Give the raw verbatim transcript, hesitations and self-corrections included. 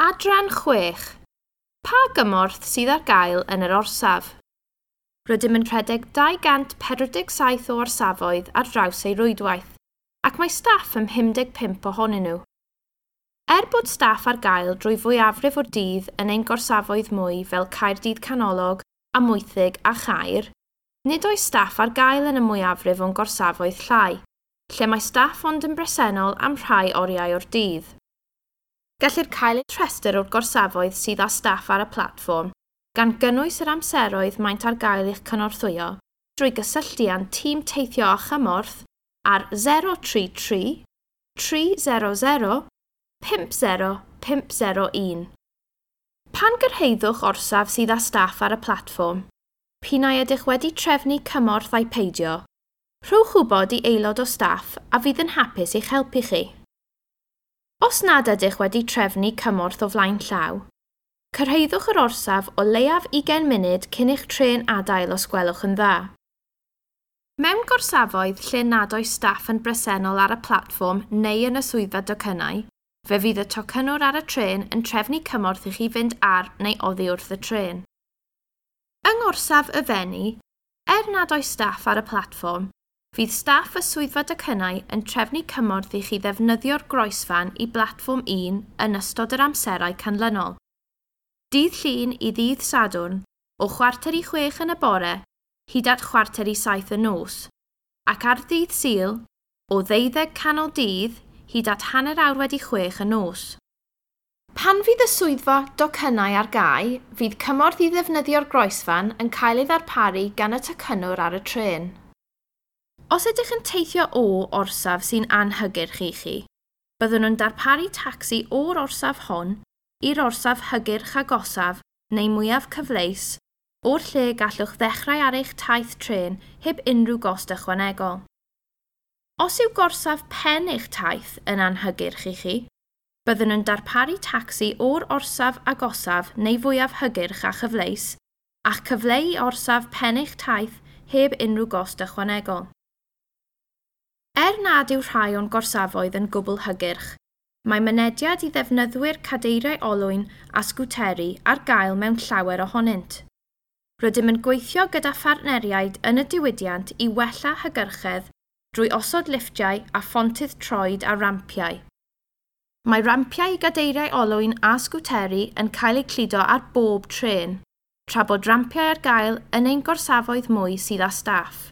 Adran chwech. Pa gymorth sydd ar gael yn yr orsaf? Rydym yn rhedeg dau gant pedwar deg saith o orsafoedd ar draws ei rwydwaith, ac mae staff ym mhum deg pump ohonyn nhw. Er bod staff ar gael drwy fwyafrif o'r dydd yn ein gorsafoedd mwy fel Caerdydd Canolog, Amwythig a Chaer, nid oes staff ar gael yn y mwyafrif o'n gorsafoedd llai, lle mae staff ond yn bresennol am rhai oriau o'r dydd. Gellir cael rhestr o'r gorsafoedd sydd â staff ar y platfform, gan gynnwys yr amseroedd maent ar gael i'ch cynorthwyo, drwy gysylltu â'n tîm teithio a chymorth ar zero tri tri, tri zero zero, pump zero pump zero un. Pan gyrhaeddwch orsaf sydd â staff ar y platfform, p'un ai ydych wedi trefnu cymorth ai peidio, rhowch wybod i aelod o staff a fydd yn hapus i'ch helpu chi. Os nad ydych wedi trefnu cymorth o flaen llaw, cyrhaeddwch yr orsaf o leiaf ugain munud cyn i'ch trên adael os gwelwch yn dda. Mewn gorsafoedd lle nad oes staff yn bresennol ar y platfform neu yn y swyddfa docynnau, fe fydd y tocynnwr ar y trên yn trefnu cymorth i chi fynd ar neu oddi wrth y trên. Yng ngorsaf y Fenni, er nad oes staff ar y platfform, fydd staff y swyddfa docynnau yn trefnu cymorth i chi ddefnyddio'r groesfan i blatfform un yn ystod yr amserau canlynol. Dydd Llun i ddydd Sadwrn, o chwarter i chwech yn y bore, hyd at chwarter i saith y nos, ac ar ddydd Sul, o ddeuddeg canol dydd hyd at hanner awr wedi chwech y nos. Pan fydd y swyddfa docynnau ar gau, fydd cymorth i ddefnyddio'r groesfan yn cael ei ddarparu gan y tocynnwr ar y trên. Os ydych yn teithio o orsaf sy'n anhygyrch i chi, byddwn yn darparu tacsi o'r orsaf hon i'r orsaf hygyrch agosaf neu mwyaf cyfleus, o'r lle gallwch ddechrau ar eich taith trên heb unrhyw gost ychwanegol. Os yw gorsaf pen eich taith yn anhygyrch i chi, byddwn yn darparu tacsi o'r orsaf agosaf neu fwyaf hygyrch a chyfleus, a'ch cyfleu i orsaf pen eich taith heb unrhyw gost ychwanegol. Er nad yw rhai o'n gorsafoedd yn gwbl hygyrch, mae mynediad i ddefnyddwyr cadeiriau olwyn a sgwteri ar gael mewn llawer ohonynt. Rydym yn gweithio gyda phartneriaid yn y diwydiant i wella hygyrchedd drwy osod lifftiau a phontydd troed a rampiau. Mae rampiau i gadeiriau olwyn a sgwteri yn cael eu cludo ar bob trên, tra bod rampiau ar gael yn ein gorsafoedd mwy sydd â staff.